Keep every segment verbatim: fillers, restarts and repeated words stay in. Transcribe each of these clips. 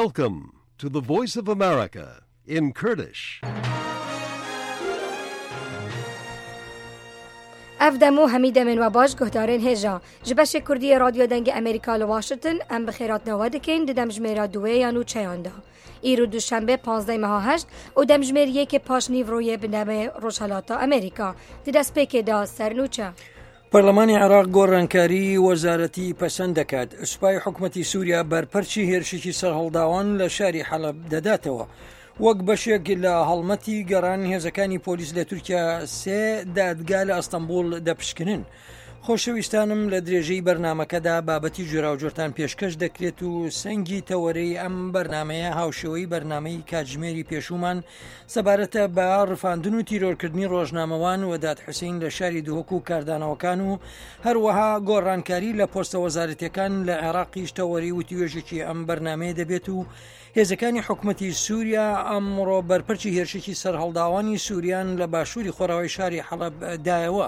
Welcome to the Voice of America in Kurdish. Ev dem û hemî demên we baş guhdarên hêja. Ji beşê Kurdiyê Radyo Dengê Amerîka li Washington em bi xêratina we dikin di demjimêra duwê ya nûçeyan de. Îro duşembe pazdeh meha heşt û demjimêr yekê paş nîvroyê bi demê Rojhilata Amerîka. Di destpêkê de ser nûçe. پەرلەمانی عێراق گۆڕانکاری وەزارەتی پەسەند دەکات. سوپای حکومەتی سووریا بەرپەرچی هێرشێکی سەرهەڵداوان لە شاری حەلەب دەداتەوە. وەک بەشێک لە هەڵمەتی گەڕان هێزەکانی پۆلیس لە تورکیا سێ دادگا لە ئەستەنبوڵ دەپشکنن. خۆشەویستانم لە درێژەی بەرنامەکەدا بابەتی جۆراوجۆرتان پێشکەش دەکرێت و سەنگی تەوەرەی ئەم بەرنمەیە هاوشێوەی بەرنمەی کاتژمێری پێشومان سەبارەتە بە ڕفاندن و تیرۆرکردنی ڕۆژنامەوان وەدات حوسین لە شاری دهۆک و کاردانەوەکان و هەروەها گۆڕانکاری لە پۆستە وەزارەتەکان لە عێراقیش تەوەری وتوێژێکی ئەم بەرنمەیە دەبێت و هێزەکانی حکومەتی سووریا ئەمڕۆ بەرپەرچی هێرشێکی سەرهەڵداوانی سووریان لە باشووری خۆراوای شاری حەڵەب دایەوە.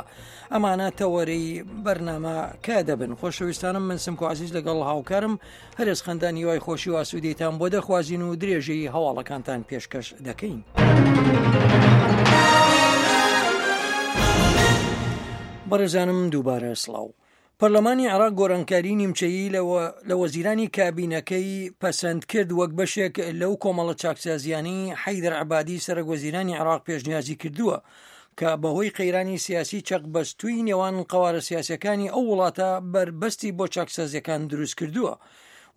ئەمانە تەوەرەی بەرنامەکە دەبن. خۆشەویستانم من سمکۆ عەزیز لەگەڵ هاوکارم هەرێز خەندان هیوای خۆشی و ئاسوودەیتان بۆ دەخوازین و درێژەی هەواڵەکانتان پێشکەش دەکەین. بەڕێزانم دووبارە سڵاو. پەرلەمانی عێراق گۆڕانکاری نیمچەیی لە وەزیرانی کابینەکەی پەسەند کرد وەک بەشێک لەو کۆمەڵە چاکسازیانەی حەیدەر عەبادی سەرۆک وەزیرانی عێراق پێشنیازی کردووە کە بەهۆی قەیرانی سیاسی چەقبەستووی نێوان قەوارە سیاسیەکانی ئەو وڵاتە بەربەستی بۆ چاکسازیەکان دروست کردووە.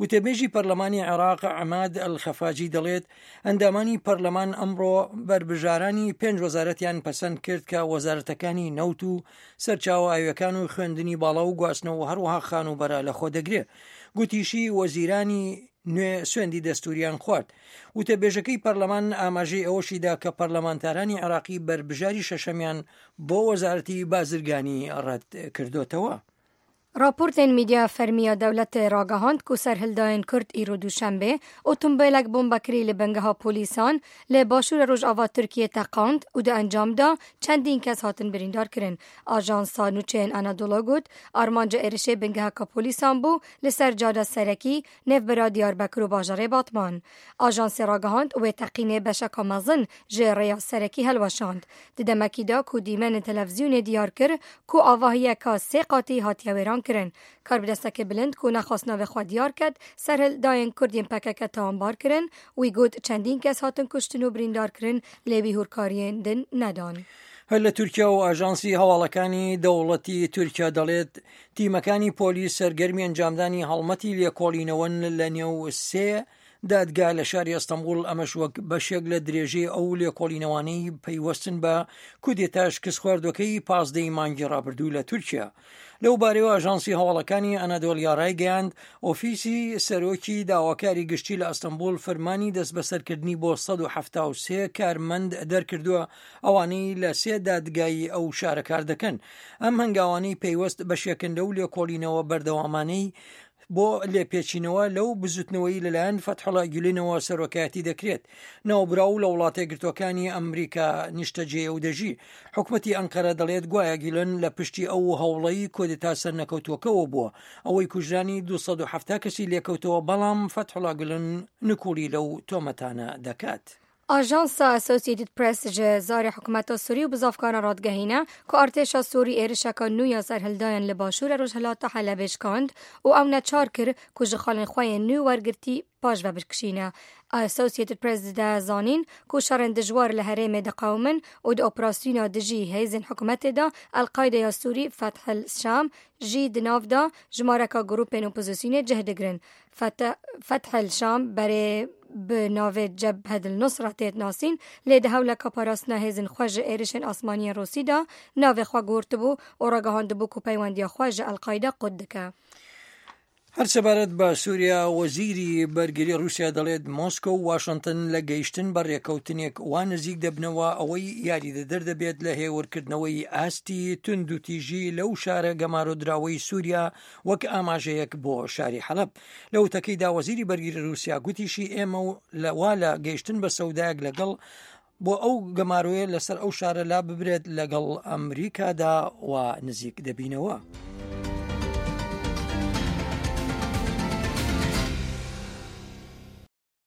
وتەبێژی پەرلەمانی عێراق عەماد ئەلخەفاجی دەڵێت ئەندامانی پەرلەمان ئەمڕۆ بەربژارانی پێنج وەزارەتیان پەسەند کرد کە وەزارەتەکانی نەوت و سەرچاوە ئاویەکان و خوێندنی باڵا و گواستنەوە هەروەها خانووبەرە لەخۆ دەگرێت. گوتیشی وەزیرانی نوێ سوێندی دەستوریان خوارد. وتەبێژەکەی پەرلەمان ئاماژەی ئەوەشیدا کە پەرلەمانتارانی عێراقی بەربژاری شەشەمیان بۆ وەزارەتی بازرگانی ڕەت کردوتەوە. راپۆرتên میدیا فەرمیya dewletê ragihand ku serhildayên Kurd îro duşembê otomobîlek bombekirî li bingeha polîsan li başûrê Rojava Tirkiyê teqand û di encam de çendîn kes hatin birîndarkirin. Ajansa nûçeyên Anadolu got armanca êrişê bingeheka polîsan bû li ser cada serekî nêvbera Diyarbekir û bajarê Batman. Ajansê ragihand wê teqînê beşeka mezin ji rêya serekî hilweşand. Di demekî de ku dîmenên televîzyonê diyar kir ku avahiyeka sê qatî hatiye wêran kirin. Karbidestekê bilind ku nexwest navê xwe diyar ket serhildayên Kurd yên P K K tawanbar kirin. Wî got çendîn kes hatin kuştin û birîndar kirin lê wî hûrkariyên din nedan. هەر لە تورکیا و ئاژانسی هەواڵەکانی دەوڵەتی تورکیا دەڵێت تیمەکانی پۆلیس سەرگەرمی ئەنجامدانی هەڵمەتی لێکۆڵینەوەن لە نێو سێ دادگا لە شاری ئەستەنبوڵ، ئەمەش وەک بەشێک لە درێژەی ئەو لێکۆڵینەوانەی پەیوەستن بە کودێتا شکستخواردوەکەی پازدەی مانگی ڕابردوو لە تورکیا. لەو بارەوە ئاژانسی هەواڵەکانی ئەنادۆلیا ڕایگەیاند ئۆفیسی سەرۆکی داواکاری گشتی لە ئەستەنبوڵ فەرمانی دەستبەسەرکردنی بۆ سەد و حەفتا و سێ کارمەند دەرکردووە ئەوانەی لە سێ دادگای ئەو شارە کار دەکەن. ئەم هەنگاوانەی پەیوەست بەشێکن لەو لێکۆڵینەوە بەردەوامانەی بۆ لێپێچینەوە لەو بزوتنەوەی لەلایەن فەتحوڵا گولێنەوە سەرۆکایەتی دەکرێت. ناوبراو لە وڵاتە یەکگرتووەکانی ئەمریکا نیشتەجێ و دەژی. حکومەتی ئەنقەرە دەڵێت گوایە گیلن لە پشتی ئەو هەوڵەی کودێتا سەرنەکەوتووەکەوە بووە ئەوەی کوژرانی دوو سەد و حەفتا کەسی لێکەوتەوە، بەڵام فەتحوڵا گولن نکوڵی لەو تۆمەتانە دەکات. Ajansa Associated Press ji zarê hikûmeta Sûrî û bizavkaran radigehîne ku artêşa Sûrî êrişeka nû ya serhildayan li başûrê Rojhilata Helebê şikand û ew neçar kir ku ji xalên xwe yên nû wergirtî paşve bikişîne. Associated Press dide zanîn ku şerên dijwar li herêmê diqewimin û di operasyona dijî hêzên hikûmetê de El-Qaîdeya Sûrî Feth el-Şam jî di nav de jimareka grûpên opozisyonê cih digirin. Feth el-Şam berê bi navê Cebhet el-Nusra tê nasîn lê di hewleka parastina hêzên xwe ji êrişên asmaniyên Rûsî de navê xwe guhertibû û ragihandibû ku peywendiya xwe ji El-Qaîde qut dike. هەر سەبارەت بە سووریا وەزیری بەرگری رووسیا دەڵێت مۆسکۆ و واشنگتن لە گەیشتن بە ڕێکەوتنێک وا نزیک دەبنەوە ئەوەی یاریدەدەر دەبێت لە هێورکردنەوەی ئاستی توندوتیژی لەو شارە گەمارۆدراوەی سووریا وەک ئاماژەیەک بۆ شاری حەلەب. لە وتەکەیدا وەزیری بەرگری رووسیا گوتیشی ئێمە لەوا لە گەیشتن بە سەودایەک لەگەڵ بۆ ئەو گەمارۆیە لەسەر ئەو شارە لا ببرێت لەگەڵ ئەمریکادا و نزیک دەبینەوە.